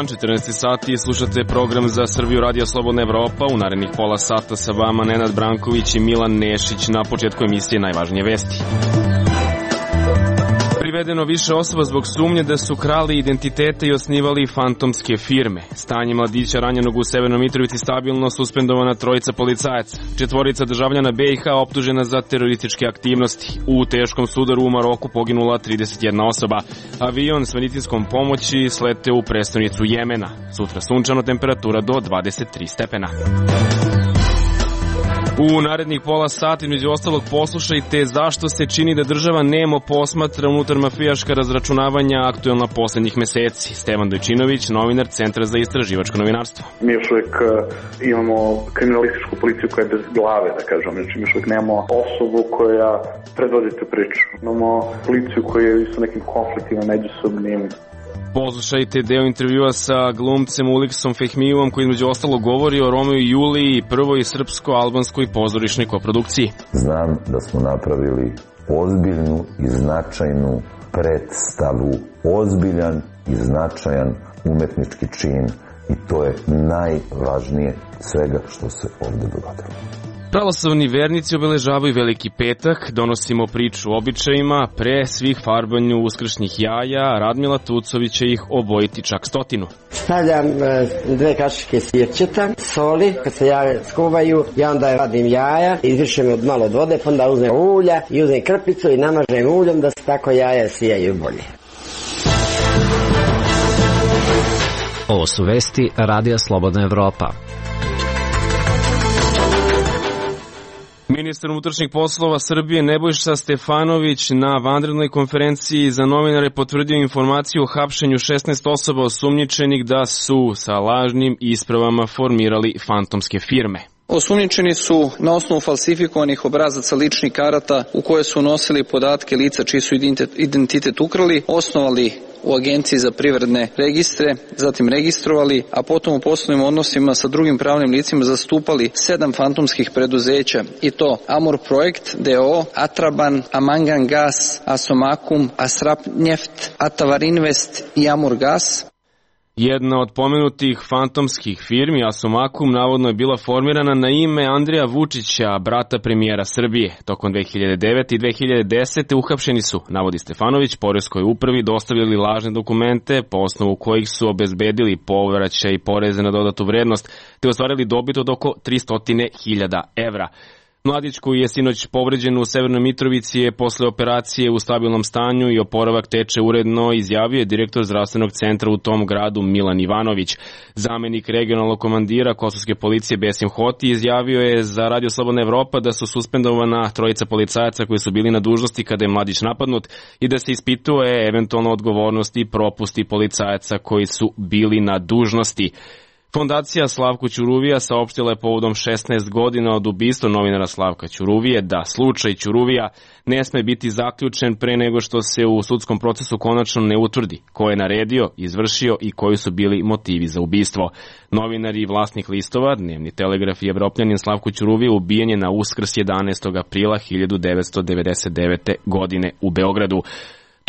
dan, 14 sati, slušate program za Srbiju Radio Slobodna Evropa. U narednih pola sata sa vama Nenad Branković i Milan Nešić. Na početku emisije najvažnije vesti. Privedeno više osoba zbog sumnje da su krali identitete i osnivali fantomske firme. Stanje mladića ranjenog u Severnoj Mitrovici stabilno, suspendovana trojica policajaca. 4 državljana BiH optužena za terorističke aktivnosti. U teškom sudaru u Maroku poginula 31 osoba. Avion s medicinskom pomoći sleteo u prestonicu Jemena. Sutra sunčano, temperatura do 23 stepena. U narednih pola sati, među ostalog, poslušajte zašto se čini da država nemo posmatra unutar mafijaška razračunavanja aktuelna poslednjih meseci. Stevan Dojčinović, novinar Centra za istraživačko novinarstvo. Mi još uvijek imamo kriminalističku policiju koja je bez glave, da kažem. Znači, mi još uvijek nemamo osobu koja predvodi tu priču. Imamo policiju koja je sa nekim konfliktima međusobnim. Poslušajte deo intervjua sa glumcem Uliksom Fehmijevom koji između ostalo govori o Romeo i Juliji, prvoj srpsko-albanskoj pozorišnoj koprodukciji. Znam da smo napravili ozbiljnu i značajnu predstavu, ozbiljan i značajan umetnički čin i to je najvažnije svega što se ovde dogodilo. Pravoslavni vernici obeležavaju Veliki petak, donosimo priču o običajima, pre svih farbanju uskršnjih jaja, Radmila Tucović će ih obojiti čak 100. Stavljam 2 kašike sirćeta, soli, kad se jaja skuvaju, ja onda radim jaja, izvršem od malo od vode, pa onda uzmem ulja i uzmem krpicu i namažem uljom da se tako jaja sijaju bolje. Ovo su vesti Radija Slobodna Evropa. Ministar unutrašnjih poslova Srbije Nebojša Stefanović na vanrednoj konferenciji za novinare potvrdio informaciju o hapšenju 16 osoba osumnjičenih da su sa lažnim ispravama formirali fantomske firme. Osumnjičeni su na osnovu falsifikovanih obrazaca ličnih karata u koje su unosili podatke lica čiji su identitet ukrali, osnovali u Agenciji za privredne registre, zatim registrovali, a potom u poslovnim odnosima sa drugim pravnim licima zastupali 7 fantomskih preduzeća i to Amur Projekt, DO, Atraban, Amangan Gas, Asomakum, Asrap Njeft, Atavar Invest i Amur Gas. Jedna od pomenutih fantomskih firmi, Asomakum, navodno je bila formirana na ime Andreja Vučića, brata premijera Srbije. Tokom 2009. i 2010. uhapšeni su, navodi Stefanović, poreskoj upravi dostavljali lažne dokumente po osnovu kojih su obezbedili povraćaj i poreze na dodatu vrednost, te ostvarili dobit od oko 300.000 evra. Mladić koji je sinoć povređen u Severnoj Mitrovici je posle operacije u stabilnom stanju i oporavak teče uredno, izjavio je direktor zdravstvenog centra u tom gradu Milan Ivanović. Zamenik regionalnog komandira kosovske policije Besim Hoti izjavio je za Radio Slobodna Evropa da su suspendovana trojica policajaca koji su bili na dužnosti kada je mladić napadnut i da se ispituje eventualno odgovornosti i propusti policajaca koji su bili na dužnosti. Fondacija Slavko Ćuruvija saopštila je povodom 16 godina od ubistva novinara Slavka Ćuruvije da slučaj Ćuruvija ne sme biti zaključen pre nego što se u sudskom procesu konačno ne utvrdi ko je naredio, izvršio i koji su bili motivi za ubistvo. Novinar i vlasnik listova, Dnevni Telegraf i Evropljanin Slavko Ćuruvije ubijen je na Uskrs 11. aprila 1999. godine u Beogradu.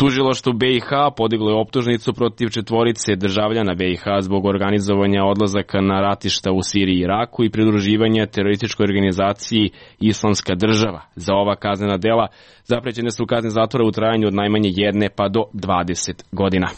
Tužilaštvo BiH podiglo je optužnicu protiv 4 državljana BiH zbog organizovanja odlazaka na ratišta u Siriji i Iraku i pridruživanja terorističkoj organizaciji Islamska država. Za ova kaznena dela zaprećene su kazne zatvora u trajanju od najmanje 1 pa do 20 godina.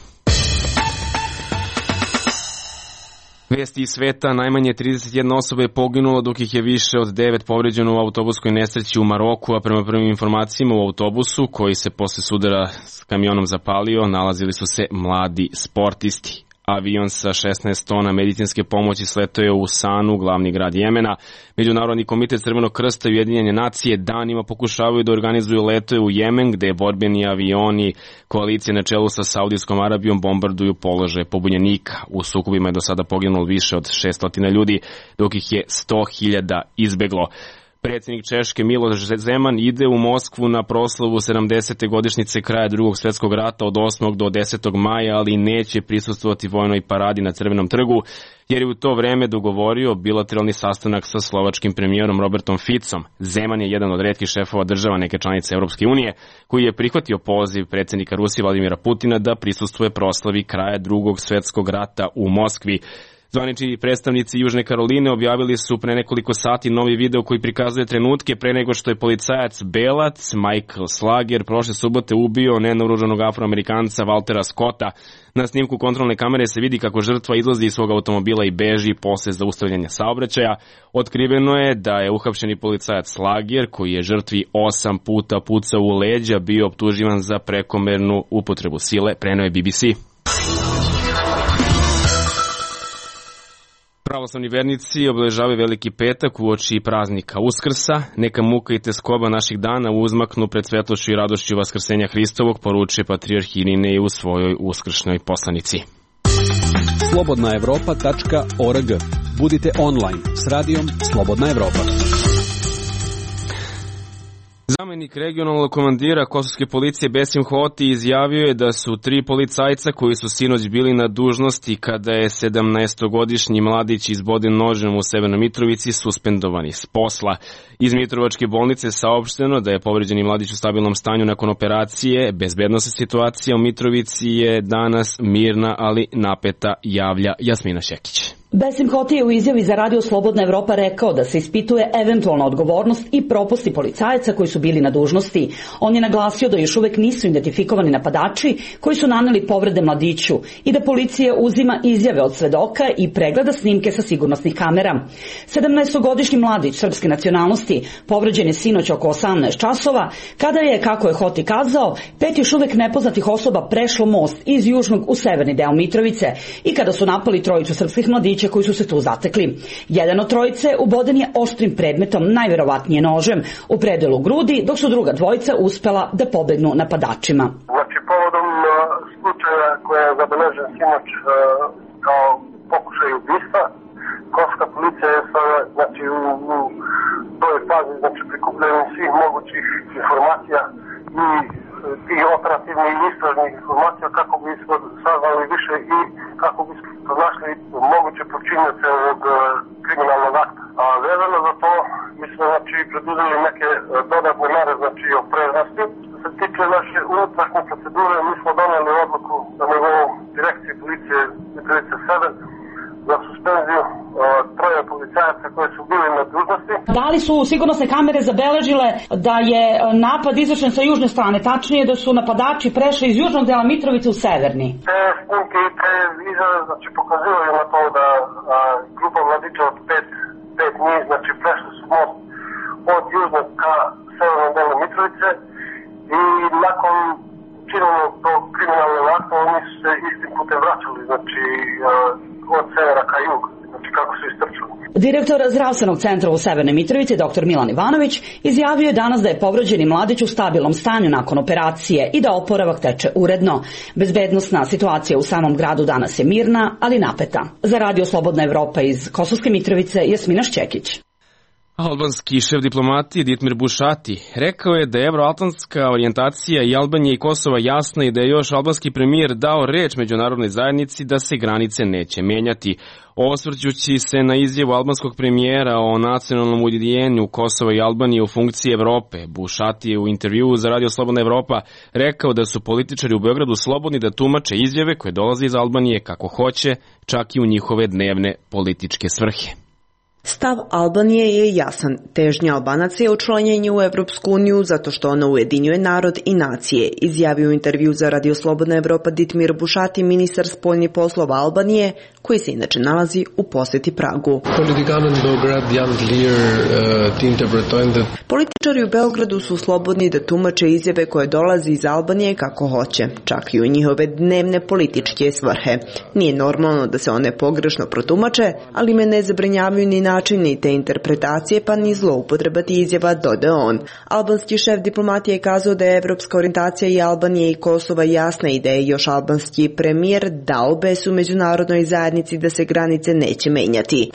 Vesti iz sveta, najmanje 31 osoba je poginulo dok ih je više od 9 povređeno u autobuskoj nesreći u Maroku, a prema prvim informacijama u autobusu koji se posle sudara s kamionom zapalio nalazili su se mladi sportisti. Avion sa 16 tona medicinske pomoći sletao je u Sanu, glavni grad Jemena. Međunarodni komitet Crvenog krsta i Ujedinjene nacije danima pokušavaju da organizuju letove u Jemen, gde borbeni avioni koalicije na čelu sa Saudijskom Arabijom bombarduju položaje pobunjenika. U sukobima je do sada poginulo više od 600 ljudi, dok ih je 100.000 izbeglo. Predsjednik Češke Miloš Zeman ide u Moskvu na proslavu 70. godišnjice kraja Drugog svjetskog rata od 8. do 10. maja, ali neće prisustvovati vojnoj paradi na Crvenom trgu, jer je u to vreme dogovorio bilateralni sastanak sa slovačkim premijerom Robertom Ficom. Zeman je jedan od retkih šefova država neke članice Europske unije koji je prihvatio poziv predsjednika Rusije Vladimira Putina da prisustvuje proslavi kraja Drugog svjetskog rata u Moskvi. Zvanični predstavnici Južne Karoline objavili su pre nekoliko sati novi video koji prikazuje trenutke pre nego što je policajac Belac Michael Slager prošle subote ubio nenaoružanog Afroamerikanca Waltera Scotta. Na snimku kontrolne kamere se vidi kako žrtva izlazi iz svog automobila i beži posle zaustavljanja saobraćaja. Otkriveno je da je uhapšeni policajac Slager, koji je žrtvi 8 puta pucao u leđa, bio optuživan za prekomernu upotrebu sile, preneo je BBC. Pravoslavni vernici obeležavaju Veliki petak uoči praznika Uskrsa. Neka muka i teskoba naših dana uzmaknu pred svetlošću i radošću Vaskrsenja Hristovog, poručuje patrijarh Irinej u svojoj uskršnjoj poslanici. slobodnaevropa.org. Budite online s radijom Slobodna Evropa. Zamenik regionalnog komandira kosovske policije Besim Hoti izjavio je da su 3 policajca koji su sinoć bili na dužnosti kada je 17-godišnji mladić izboden nožem u Severnoj Mitrovici suspendovani s posla. Iz Mitrovačke bolnice saopšteno da je povređeni mladić u stabilnom stanju nakon operacije. Bezbednosna situacija u Mitrovici je danas mirna, ali napeta, javlja Jasmina Šekić. Besim Hoti je u izjavi za Radio Slobodna Evropa rekao da se ispituje eventualna odgovornost i propusti policajaca koji su bili na dužnosti. On je naglasio da još uvek nisu identifikovani napadači koji su naneli povrede mladiću i da policija uzima izjave od svedoka i pregleda snimke sa sigurnosnih kamera. 17-godišnji mladić srpske nacionalnosti povređen je sinoć oko 18 časova, kada je, kako je Hoti kazao, 5 još uvek nepoznatih osoba prešlo most iz južnog u severni deo Mitrovice i kada su napali trojicu srpskih mladića koji su se tu zatekli. Jedan od trojice uboden je oštrim predmetom, najverovatnije nožem, u predelu grudi, dok su druga dvojica uspela da pobegnu napadačima. Znači, povodom slučaja koja je zabeležen sinoć kao pokušaj ubistva, kosovska policija je sada, znači, u toj fazi, znači, prikupljenju svih mogućih informacija i tih operativnih i istražnih informacija kako bi saznali više i kako bi pronašli moguće počinioce ovog kriminalnog akta. A vezano za to, mi smo, znači, preduzeli neke dodatne mere, znači, o preznosti. Što se tiče naše unutrašnje procedure, mi smo doneli odluku na nivou direkcije policije Mitrovice 7 za suspenziju 3 policajaca koji su bili na dužnosti. Da li su sigurnosne kamere zabeležile da je napad izvršen sa južne strane, tačnije da su napadači prešli iz južnog dela Mitrovice u severni? Te snimke i te izjave, znači, pokazivaju na to da grupa mladića od 5 njih, znači, prešli su most od južnog ka severnom delu Mitrovice i nakon učinjenog tog kriminalnog akta oni su se istim putem vraćali, znači, od severa ka jugu, znači kako su istrčali. Direktor zdravstvenog centra u Severnoj Mitrovici, dr. Milan Ivanović, izjavio je danas da je povređeni mladić u stabilnom stanju nakon operacije i da oporavak teče uredno. Bezbednosna situacija u samom gradu danas je mirna, ali napeta. Za Radio Slobodna Evropa iz Kosovske Mitrovice, Jasmina Šćekić. Albanski šef diplomatije Ditmir Bušati rekao je da je evroatlantska orijentacija i Albanije i Kosova jasna i da je još albanski premijer dao reč međunarodnoj zajednici da se granice neće menjati. Osvrćući se na izjavu albanskog premijera o nacionalnom ujedinjenju Kosova i Albanije u funkciji Evrope, Bušati je u intervjuu za Radio Slobodna Evropa rekao da su političari u Beogradu slobodni da tumače izjave koje dolaze iz Albanije kako hoće, čak i u njihove dnevne političke svrhe. Stav Albanije je jasan. Težnja Albanaca je učlanjenje u Evropsku uniju zato što ona ujedinjuje narod i nacije, izjavio u intervju za Radio Slobodna Evropa Ditmir Bušati, ministar spoljnih poslova Albanije, koji se inače nalazi u poseti Pragu. Političari u Beogradu su slobodni da tumače izjave koje dolaze iz Albanije kako hoće, čak i u njihove dnevne političke svrhe. Nije normalno da se one pogrešno protumače, ali me ne zabrinjavaju ni načini te interpretacije pa ni zloupotrebati izjava, dodao on. Albanski šef diplomatije je kazao da je evropska orijentacija i Albanije i Kosova jasna i da je još albanski premijer dao besu međunarodnoj zajednici da se granice neće menjati.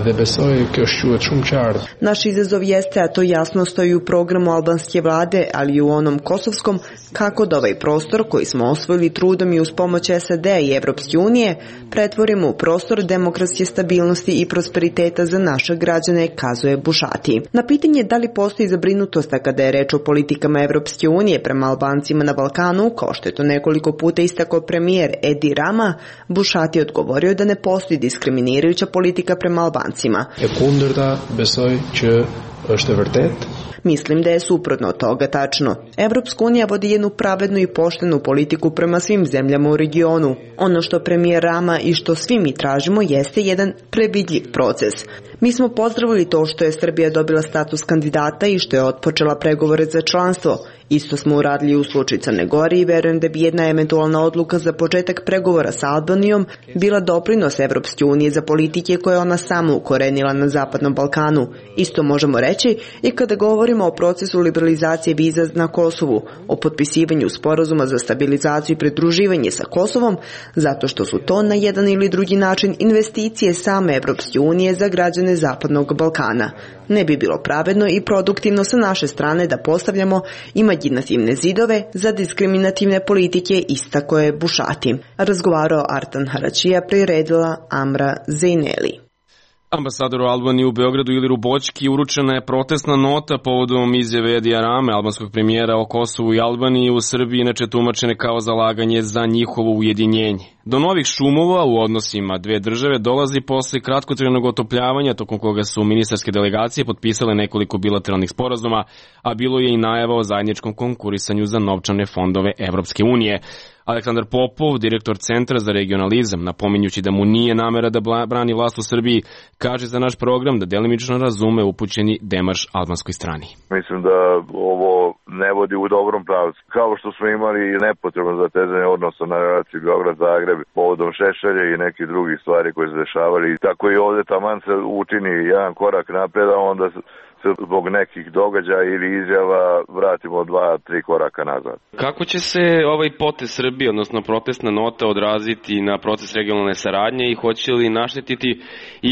dhe besoj kjo shquhet shumë qartë. Naš izazov jeste, a to jasno stoji u programu albanske vlade, ali i u onom kosovskom, kako da ovaj prostor koji smo osvojili trudom i uz pomoć SAD-a i Evropske unije pretvorimo u prostor demokratske stabilnosti i prosperiteta za naše građane, kazuje Bušati. Na pitanje da li postoji zabrinutost kada je reč o politikama Evropske unije prema Albancima na Balkanu, kao što je to nekoliko puta istakao premijer Edi Rama, Bušati je odgovorio da ne postoji diskriminirajuća politika prema Albancima. E kundërta besoj që është e vërtet. Mislim da je suprotno od toga tačno. Evropska unija vodi jednu pravednu i poštenu politiku prema svim zemljama u regionu. Ono što premijer Rama i što svi mi tražimo jeste jedan previdljiv proces. Mi smo pozdravili to što je Srbija dobila status kandidata i što je otpočela pregovore za članstvo. Isto smo uradili u slučaju Crne Gore i verujem da bi jedna eventualna odluka za početak pregovora sa Albanijom bila doprinos Evropske unije za politike koje ona sama ukorenila na Zapadnom Balkanu. Isto možemo reći i kada govorimo o procesu liberalizacije viza na Kosovu, o potpisivanju sporazuma za stabilizaciju i pridruživanje sa Kosovom, zato što su to na jedan ili drugi način investicije same Evropske unije za građane Zapadnog Balkana. Ne bi bilo pravedno i produktivno sa naše strane da postavljamo imaginativne zidove za diskriminativne politike, istako je Bušati. Razgovarao Artan Haračija, priredila Amra Zejneli. Ambasadoru Albanije u Beogradu Iliru Boćki uručena je protestna nota povodom izjave Edija Rame, albanskog premijera o Kosovu i Albaniji u Srbiji, inače tumačene kao zalaganje za njihovo ujedinjenje. Do novih šumova u odnosima dve države dolazi posle kratkotrajnog otopljavanja, tokom koga su ministarske delegacije potpisale nekoliko bilateralnih sporazuma, a bilo je i najava o zajedničkom konkurisanju za novčane fondove Evropske unije. Aleksandar Popov, direktor Centra za regionalizam, napominjući da mu nije namera da brani vlast u Srbiji, kaže za naš program da delimično razume upućeni demarš albanskoj strani. Mislim da ovo ne vodi u dobrom pravcu. Kao što smo imali nepotrebno zatezanje odnosa na relaciji Beograd-Zagreb povodom Šešelja i nekih drugih stvari koje se dešavali. Tako i ovde taman se učini jedan korak napred, a onda se zbog nekih događaja ili izjava vratimo 2-3 koraka nazad. Kako će se ovaj potez Srbije, odnosno protestna nota, odraziti na proces regionalne saradnje i hoće li naštetiti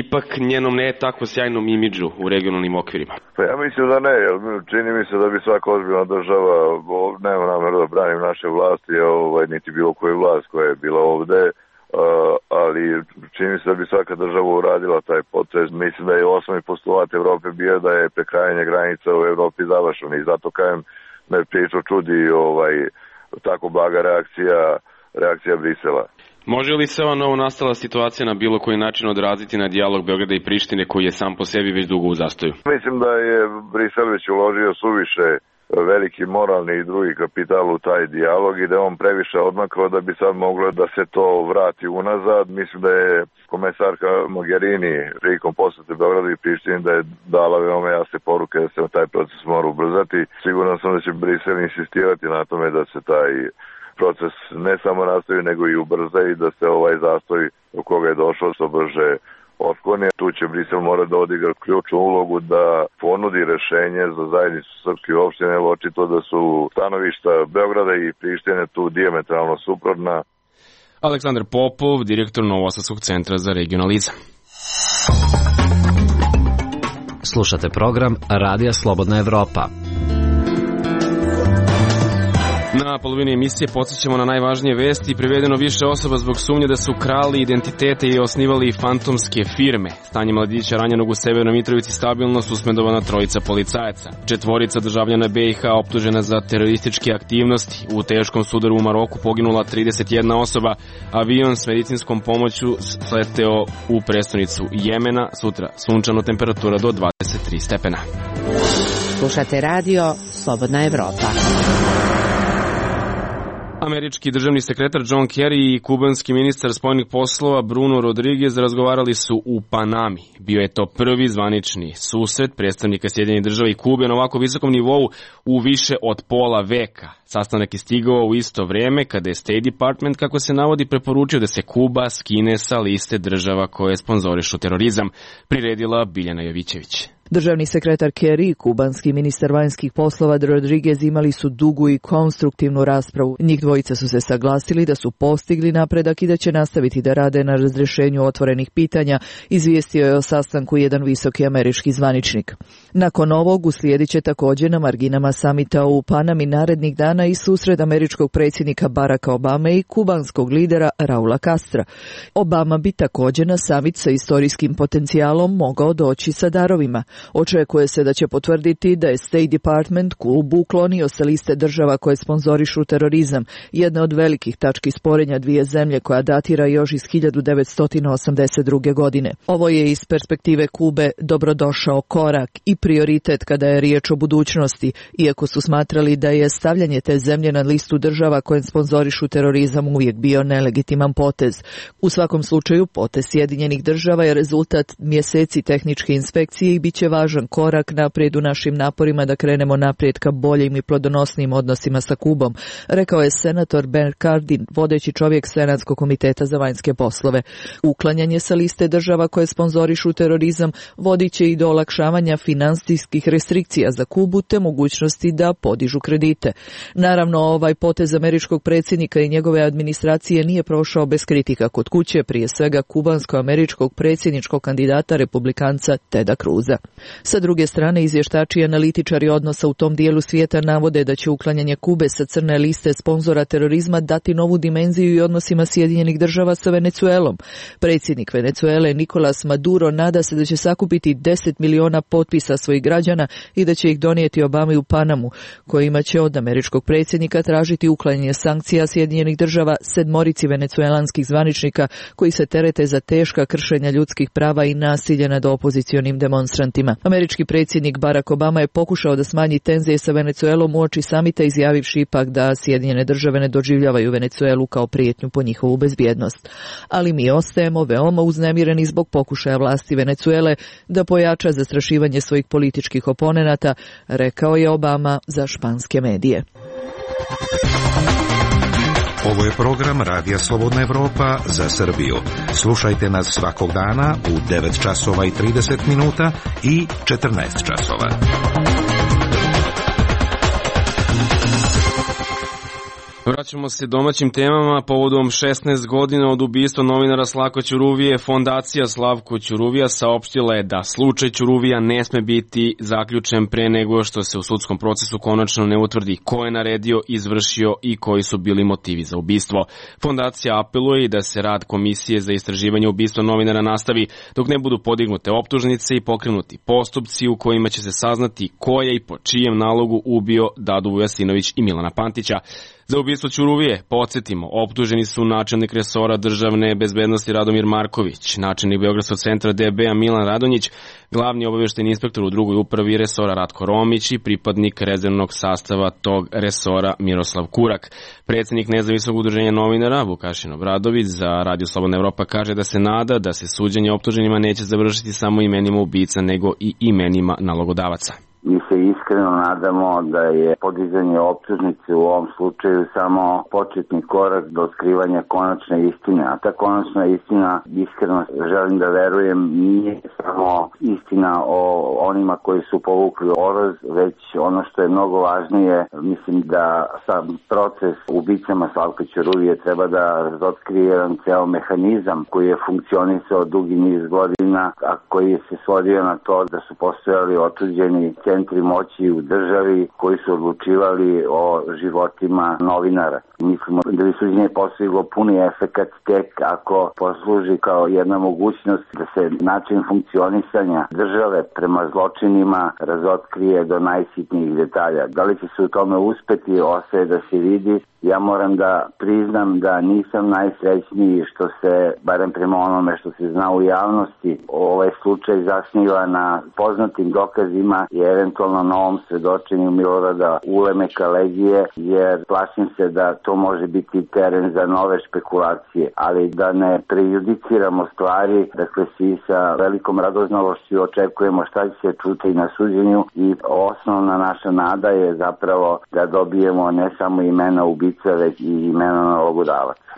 ipak njenom ne tako sjajnom imidžu u regionalnim okvirima? Pa ja mislim da ne, jer čini mi se da bi svaka ozbiljna država, nema nameru da branim naše vlasti, niti bilo koju vlast koja je bila ovde, ali čini se da bi svaka država uradila taj potez. Mislim da je osnovni postulat Evrope bio da je prekrajanje granica u Evropi završeno i zato kažem me priču čudi tako blaga reakcija Brisela. Može li se ova novo nastala situacija na bilo koji način odraziti na dijalog Beograda i Prištine koji je sam po sebi već dugo u zastoju? Mislim da je Brisel već uložio suviše veliki moralni i drugi kapital u taj dijalog i da je on previše odmakao da bi sad moglo da se to vrati unazad. Mislim da je komesarka Mogherini prilikom posete Beogradu i Prištini da je dala veoma jasne poruke da se taj proces mora ubrzati. Siguran sam da će Brisel insistirati na tome da se taj proces ne samo nastavi nego i ubrza i da se ovaj zastoj u koga je došlo što brže otkloni. Tu će Brisel mora da odigra ključnu ulogu da ponudi rešenje za zajednicu srpskih opština, jer očito da su stanovišta Beograda i Prištine tu dijametralno suprotna. Aleksandar Popov, direktor Novosadskog centra za regionalizam. Slušate program Radija Slobodna Evropa. Na polovini emisije podsjećamo na najvažnije vesti. Privedeno više osoba zbog sumnje da su krali identitete i osnivali fantomske firme. Stanje mladića ranjenog u Severnoj Mitrovici stabilno, suspendovana 3 policajaca. 4 državljana BiH optužena za terorističke aktivnosti. U teškom sudaru u Maroku poginula 31 osoba. Avion s medicinskom pomoću sleteo u prestonicu Jemena. Sutra sunčano, temperatura do 23 stepena. Slušate radio Slobodna Evropa. Američki državni sekretar John Kerry i kubanski ministar spoljnih poslova Bruno Rodriguez razgovarali su u Panami. Bio je to prvi zvanični susret predstavnika Sjedinjenih Država i Kube na ovako visokom nivou u više od pola veka. Sastanak je stigao u isto vreme kada je State Department, kako se navodi, preporučio da se Kuba skine sa liste država koje sponzorišu terorizam, priredila Biljana Jovićević. Državni sekretar Kerry i kubanski ministar vanjskih poslova Rodriguez imali su dugu i konstruktivnu raspravu. Njih dvojica su se saglasili da su postigli napredak i da će nastaviti da rade na razrešenju otvorenih pitanja, izvijestio je o sastanku jedan visoki američki zvaničnik. Nakon ovog uslijedit će također na marginama samita u Panami narednih dana i susret američkog predsjednika Baracka Obame i kubanskog lidera Raula Castra. Obama bi također na samit sa istorijskim potencijalom mogao doći sa darovima. Očekuje se da će potvrditi da je State Department Kubu uklonio sa liste država koje sponzorišu terorizam, jedna od velikih tački sporenja dvije zemlje koja datira još iz 1982. godine. Ovo je iz perspektive Kube dobrodošao korak i prioritet kada je riječ o budućnosti, iako su smatrali da je stavljanje te zemlje na listu država koje sponzorišu terorizam uvijek bio nelegitiman potez. U svakom slučaju, potez Sjedinjenih država je rezultat mjeseci tehničke inspekcije i bit će važan korak naprijed u našim naporima da krenemo naprijed ka boljim i plodonosnim odnosima sa Kubom, rekao je senator Ben Cardin, vodeći čovjek Senatskog komiteta za vanjske poslove. Uklanjanje sa liste država koje sponzorišu terorizam vodit će i do olakšavanja finansijskih restrikcija za Kubu te mogućnosti da podižu kredite. Naravno, ovaj potez američkog predsjednika i njegove administracije nije prošao bez kritika kod kuće, prije svega kubansko-američkog predsjedničkog kandidata republikanca Teda Cruza. Sa druge strane, izvještači i analitičari odnosa u tom dijelu svijeta navode da će uklanjanje Kube sa crne liste sponzora terorizma dati novu dimenziju i odnosima Sjedinjenih država sa Venecuelom. Predsjednik Venecuele Nicolas Maduro nada se da će sakupiti 10 miliona potpisa svojih građana i da će ih donijeti Obami u Panamu, kojima će od američkog predsjednika tražiti uklanjanje sankcija Sjedinjenih država 7 venecuelanskih zvaničnika koji se terete za teška kršenja ljudskih prava i nasilje nad opozicionim demonstrantima. Američki predsjednik Barack Obama je pokušao da smanji tenzije sa Venecuelom uoči samita, izjavivši ipak da Sjedinjene države ne doživljavaju Venecuelu kao prijetnju po njihovu bezbjednost. Ali mi ostajemo veoma uznemireni zbog pokušaja vlasti Venecuele da pojača zastrašivanje svojih političkih oponenata, rekao je Obama za španske medije. Ovo je program Radija Slobodna Evropa za Srbiju. Slušajte nas svakog dana u 9 časova i 30 minuta i 14 časova. Vraćamo se domaćim temama. Povodom 16 godina od ubistva novinara Slavka Ćuruvije, Fondacija Slavko Ćuruvija saopštila je da slučaj Ćuruvija ne sme biti zaključen pre nego što se u sudskom procesu konačno ne utvrdi ko je naredio, izvršio i koji su bili motivi za ubistvo. Fondacija apeluje i da se rad Komisije za istraživanje ubistva novinara nastavi dok ne budu podignute optužnice i pokrenuti postupci u kojima će se saznati ko je i po čijem nalogu ubio Dadu Vujasinović i Milana Pantića. Za ubistvo Ćuruvije, podsjetimo, optuženi su načelnik resora državne bezbednosti Radomir Marković, načelnik Beogradskog centra DB-a Milan Radonjić, glavni obavještajni inspektor u drugoj upravi resora Ratko Romić i pripadnik rezervnog sastava tog resora Miroslav Kurak. Predsjednik Nezavisnog udruženja novinara Vukašin Obradović za Radio Slobodna Evropa kaže da se nada da se suđenje optuženima neće završiti samo imenima ubica nego i imenima nalogodavaca. Mi se iskreno nadamo da je podizanje optužnice u ovom slučaju samo početni korak do otkrivanja konačne istine. A ta konačna istina, iskreno želim da verujem, nije samo istina o onima koji su povukli oroz, već ono što je mnogo važnije, mislim da sam proces ubicama Slavka Ćuruvije treba da razotkrije jedan ceo mehanizam koji je funkcionisao dugi niz godina, a koji se svodio na to da su postojali otuđeni centri moći u državi koji su odlučivali o životima novinara. Mislimo da bi suđenje postiglo puni efekat tek ako posluži kao jedna mogućnost da se način funkcionisanja države prema zločinima razotkrije do najsitnijih detalja. Da li će se u tome uspeti, ostaje da se vidi. Ja moram da priznam da nisam najsrećniji što se, barem prema onome što se zna u javnosti, ovaj slučaj zasniva na poznatim dokazima i eventualno novom svedočenju Milorada Ulemeka Legije, jer plašim se da to može biti teren za nove špekulacije, ali da ne prejudiciramo stvari, dakle svi sa velikom radoznalošću očekujemo šta će se čuti na suđenju i osnovna naša nada je zapravo da dobijemo ne samo imena ubica, već i imena nalogodavaca.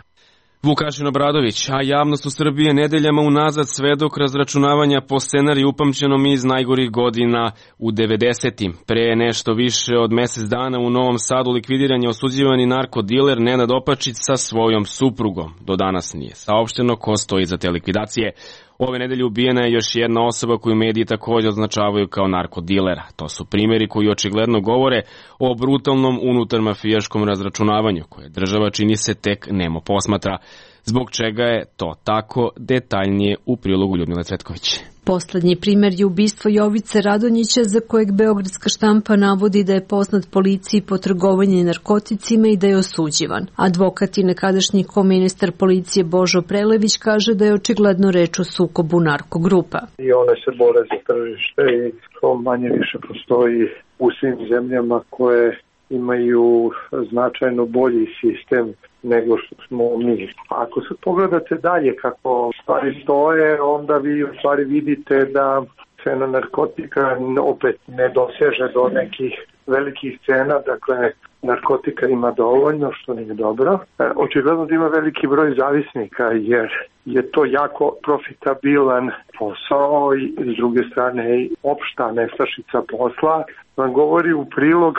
Vukašin Obradović, a javnost u Srbiji je nedeljama unazad svedok razračunavanja po scenariju upamćenom iz najgorih godina u 90-im. Pre nešto više od mesec dana u Novom Sadu likvidiran je osuđivani narkodiler Nenad Opačić sa svojom suprugom. Do danas nije saopšteno ko stoji za te likvidacije. Ove nedelje ubijena je još jedna osoba koju mediji također označavaju kao narkodilera. To su primjeri koji očigledno govore o brutalnom unutarmafijaškom razračunavanju koje država, čini se, tek nemo posmatra. Zbog čega je to tako, detaljnije u prilogu Ljudmile Cvetković. Poslednji primjer je ubistvo Jovice Radonjića, za kojeg beogradska štampa navodi da je poznat policiji po trgovanju narkoticima i da je osuđivan. Advokat i nekadašnji koministar policije Božo Prelević kaže da je očigledno reč o sukobu narkogrupa. I one se bore za tržište i to manje više postoji u svim zemljama koje imaju značajno bolji sistem nego što smo mi. Ako se pogledate dalje kako stvari stoje, onda vi u stvari vidite da cena narkotika opet ne doseže do nekih velikih cena, dakle narkotika ima dovoljno, što nije dobro. Očigledno da ima veliki broj zavisnika jer je to jako profitabilan posao i s druge strane opšta nestašica posla vam govori u prilog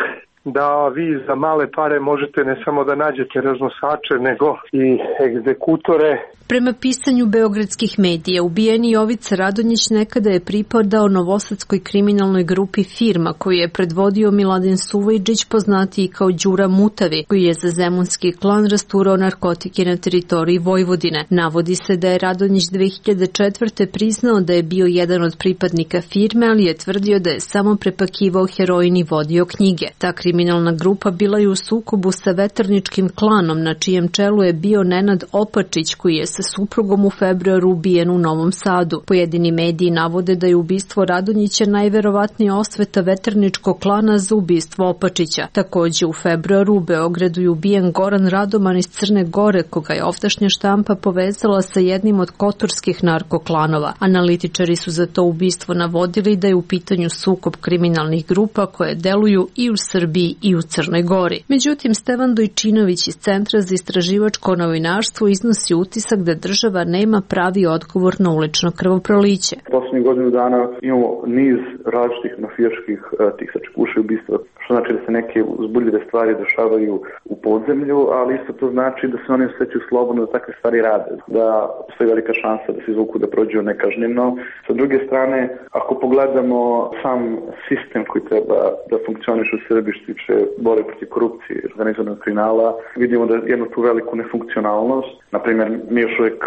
da vi za male pare možete ne samo da nađete raznosače, nego i egzekutore. Prema pisanju beogradskih medija, ubijeni Jovica Radonjić nekada je pripadao novosadskoj kriminalnoj grupi Firma, koju je predvodio Miladin Suvajđić, poznatiji kao Đura Mutavi, koji je za zemunski klan rasturao narkotike na teritoriji Vojvodine. Navodi se da je Radonjić 2004. priznao da je bio jedan od pripadnika Firme, ali je tvrdio da je samo prepakivao heroin i vodio knjige. Ta kriminalna grupa bila je u sukobu sa veterničkim klanom, na čijem čelu je bio Nenad Opačić, koji je sa suprugom u februaru ubijen u Novom Sadu. Pojedini mediji navode da je ubistvo Radonjića najverovatnije osveta veterničkog klana za ubistvo Opačića. Takođe u februaru u Beogradu je ubijen Goran Radoman iz Crne Gore, koga je ovdašnja štampa povezala sa jednim od kotorskih narkoklanova. Analitičari su za to ubistvo navodili da je u pitanju sukob kriminalnih grupa koje deluju i u Srbiji i u Crnoj Gori. Međutim, Stevan Dojčinović iz Centra za istraživačko novinarstvo iznosi utisak da država nema pravi odgovor na ulično krvoproliće. Poslednjih godinu dana imamo niz različitih mafijaških tih sačekuša i ubistva, što znači da se neke uzbudljive stvari dešavaju u podzemlju, ali isto to znači da se oni osjećaju slobodno da takve stvari rade, da postoji velika šansa da se izvuku da prođu nekažnjeno. Sa druge strane, ako pogledamo sam sistem koji treba da funkcioniše u Srbiji što tiče borbe protiv korupcije i organizovanog kriminala, vidimo da jednu tu veliku nefunkcionalnost. Naprimjer, mi još uvijek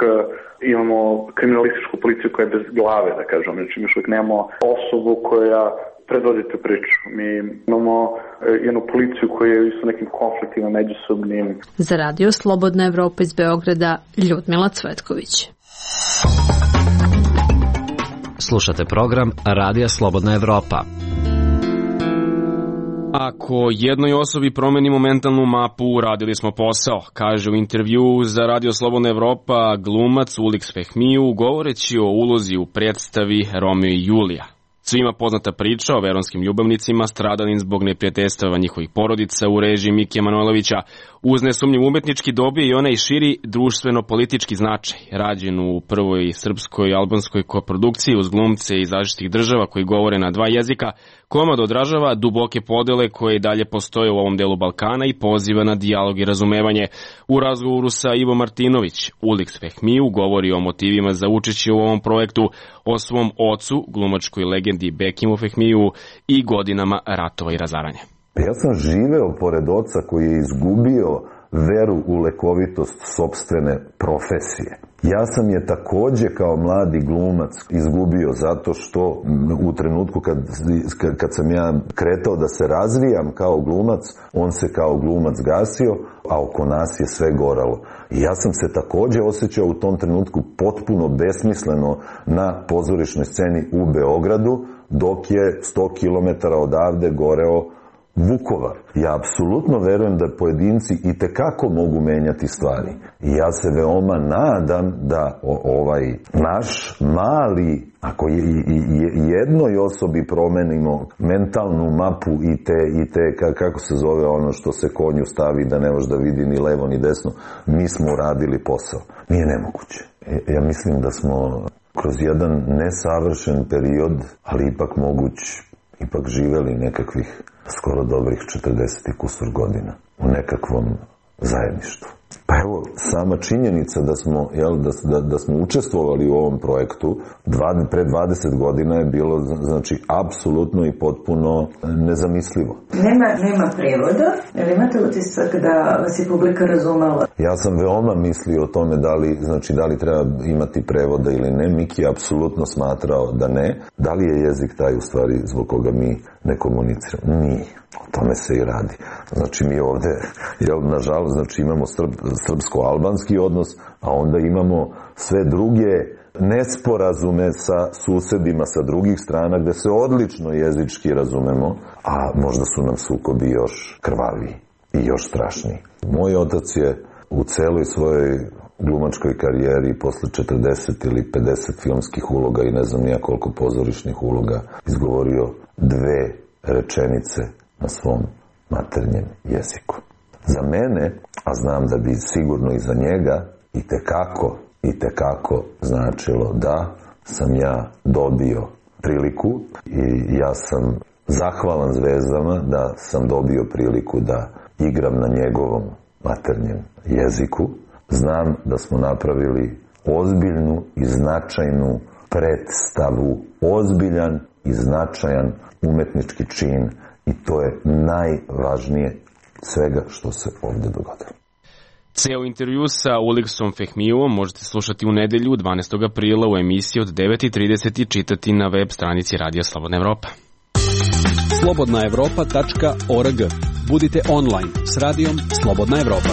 imamo kriminalističku policiju koja je bez glave, da kažem, znači mi još uvijek nemamo osobu koja predvodi tu priču. Mi imamo jednu policiju koja je s nekim konfliktima međusobnim. Za radio Slobodna Evropa iz Beograda, Ljudmila Cvetković. Slušate program Radija Slobodna Evropa. Ako jednoj osobi promenimo mentalnu mapu, uradili smo posao, kaže u intervju za Radio Slobodna Evropa glumac Ulix Fehmiju, govoreći o ulozi u predstavi Romeo i Julija. Svima poznata priča o veronskim ljubavnicima stradalim zbog neprijateljstava njihovih porodica u režiji Mike Manojlovića uz nesumnjiv umetnički dobije i onaj širi društveno-politički značaj, rađen u prvoj srpskoj i albanskoj koprodukciji uz glumce iz različitih država koji govore na dva jezika. Komad odražava duboke podele koje i dalje postoje u ovom delu Balkana i poziva na dijalog i razumevanje. U razgovoru sa Ivo Martinović, Ulix Fehmiju govori o motivima za učešće u ovom projektu, o svom ocu, glumačkoj legendi Bekimu Fehmiju i godinama ratova i razaranja. Ja sam živeo pored oca koji je izgubio veru u lekovitost sopstvene profesije. Ja sam je takođe kao mladi glumac izgubio zato što u trenutku kad sam ja kretao da se razvijam kao glumac, on se kao glumac gasio, a oko nas je sve goralo. I ja sam se takođe osjećao u tom trenutku potpuno besmisleno na pozorišnoj sceni u Beogradu, dok je 100 km odavde goreo Vukovar. Ja apsolutno verujem da pojedinci i tekako mogu menjati stvari. I ja se veoma nadam da ovaj naš mali, ako jednoj osobi promenimo mentalnu mapu i te kako se zove ono što se konju stavi da ne može da vidi ni levo ni desno, mi smo uradili posao. Nije nemoguće. Ja mislim da smo kroz jedan nesavršen period, ali ipak moguć, ipak živeli nekakvih skoro dobrih 40 i kusur godina u nekakvom zajedništvu. Pa evo, sama činjenica da smo učestvovali u ovom projektu pre 20 godina je bilo, znači, apsolutno i potpuno nezamislivo. Nema prevoda, ali imate utisak da vas je publika razumela? Ja sam veoma mislio o tome da li treba imati prevoda ili ne. Miki je apsolutno smatrao da ne. Da li je jezik taj u stvari zbog koga mi ne komuniciramo? Nije. O tome se i radi. Znači mi ovde, nažalost, znači imamo srpsko-albanski odnos, a onda imamo sve druge nesporazume sa susedima sa drugih strana gde se odlično jezički razumemo, a možda su nam sukobi još krvaviji i još strašniji. Moj otac je u celoj svojoj glumačkoj karijeri posle 40 ili 50 filmskih uloga i ne znam nija koliko pozorišnih uloga izgovorio 2 rečenice na svom maternjem jeziku. Za mene, a znam da bi sigurno i za njega, i tekako značilo da sam ja dobio priliku i ja sam zahvalan zvezdama da sam dobio priliku da igram na njegovom maternjem jeziku. Znam da smo napravili ozbiljnu i značajnu predstavu, ozbiljan i značajan umetnički čin i to je najvažnije svega što se ovde dogodilo. Ceo intervju sa Uliksom Fehmijevom možete slušati u nedelju 12. aprila u emisiji od 9:30 i čitati na web stranici Radija Slobodna Evropa. slobodnaevropa.org. Budite online s Radijom Slobodna Evropa.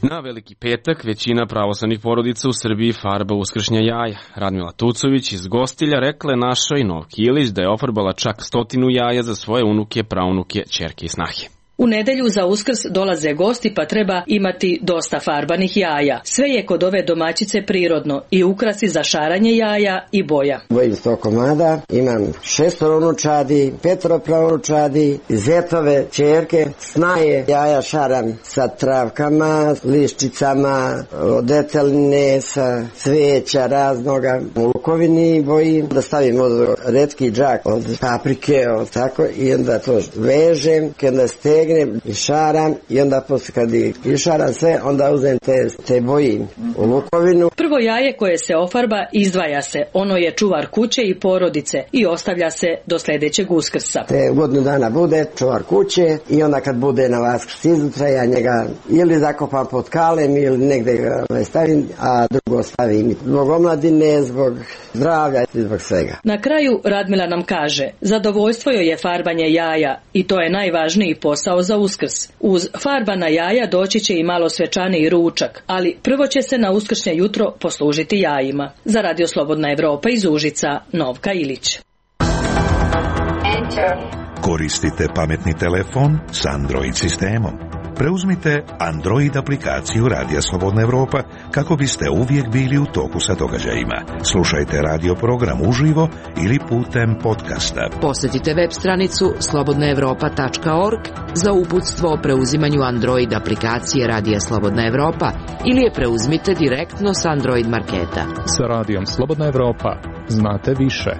Na Veliki petak većina pravoslavnih porodica u Srbiji farba uskršnja jaja. Radmila Tucović iz Gostilja rekla je našoj Novki Ilić da je ofarbala čak 100 jaja za svoje unuke, praunuke, ćerke i snahe. U nedelju za Uskrs dolaze gosti pa treba imati dosta farbanih jaja. Sve je kod ove domaćice prirodno i ukrasi za šaranje jaja i boja. Bojim 100 komada, imam 6 unučadi, 5 praunučadi, zetove, ćerke, snaje, jaja šaram sa travkama, liščicama, od deteline, sa cveća raznoga. U lukovini bojim da stavim od retki džak od paprike, od tako, i onda to vežem, onda stegnem i šaram i onda posle kad išaram sve, onda uzem te boji u lukovinu. Prvo jaje koje se ofarba izdvaja se, ono je čuvar kuće i porodice i ostavlja se do sledećeg Uskrsa. Te godinu dana bude čuvar kuće i onda kad bude na Vaskrs izutra ja njega ili zakopam pod kalem ili negde ga stavim, a drugo stavim zbog omladine, zbog zdravlja i zbog svega. Na kraju Radmila nam kaže, zadovoljstvo joj je farbanje jaja i to je najvažniji posao za Uskrs. Uz farbana jaja doći će i malo svečaniji ručak, ali prvo će se na uskršnje jutro poslužiti jajima. Za Radio Slobodna Evropa iz Užica, Novka Ilić. Koristite pametni telefon s Android sistemom. Preuzmite Android aplikaciju Radija Slobodna Evropa kako biste uvijek bili u toku sa događajima. Slušajte radio program uživo ili putem podcasta. Posjetite web stranicu slobodnaevropa.org za uputstvo o preuzimanju Android aplikacije Radija Slobodna Evropa ili je preuzmite direktno s Android marketa. Sa Radijom Slobodna Evropa znate više.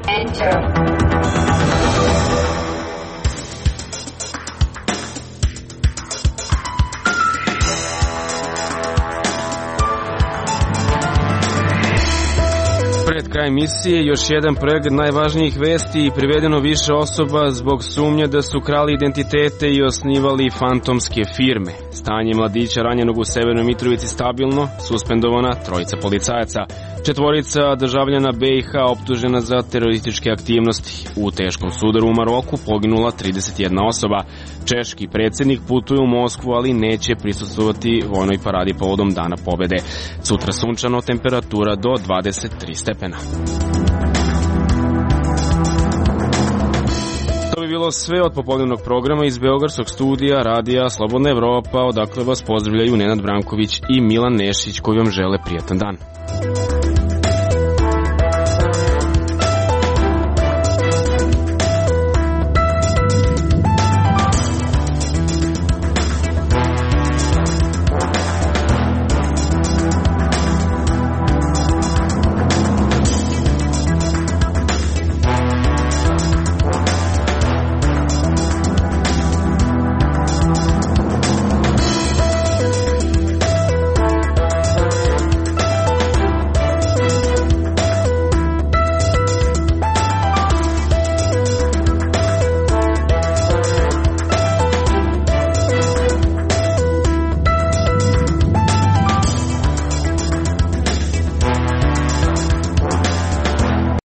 Pred kraj emisije još jedan pregled najvažnijih vesti i privedeno više osoba zbog sumnje da su krali identitete i osnivali fantomske firme. Stanje mladića ranjenog u Severnoj Mitrovici stabilno, suspendovana 3 policajaca. 4 državljana BiH optužena za terorističke aktivnosti. U teškom sudaru u Maroku poginula 31 osoba. Češki predsjednik putuje u Moskvu, ali neće prisustvovati vojnoj paradi povodom Dana pobede. Sutra sunčano, temperatura do 23 stepena. bilo sve od popodnevnog programa iz Beogradskog studija Radija Slobodna Evropa, odakle vas pozdravljaju Nenad Branković i Milan Nešić koji vam žele prijatan dan.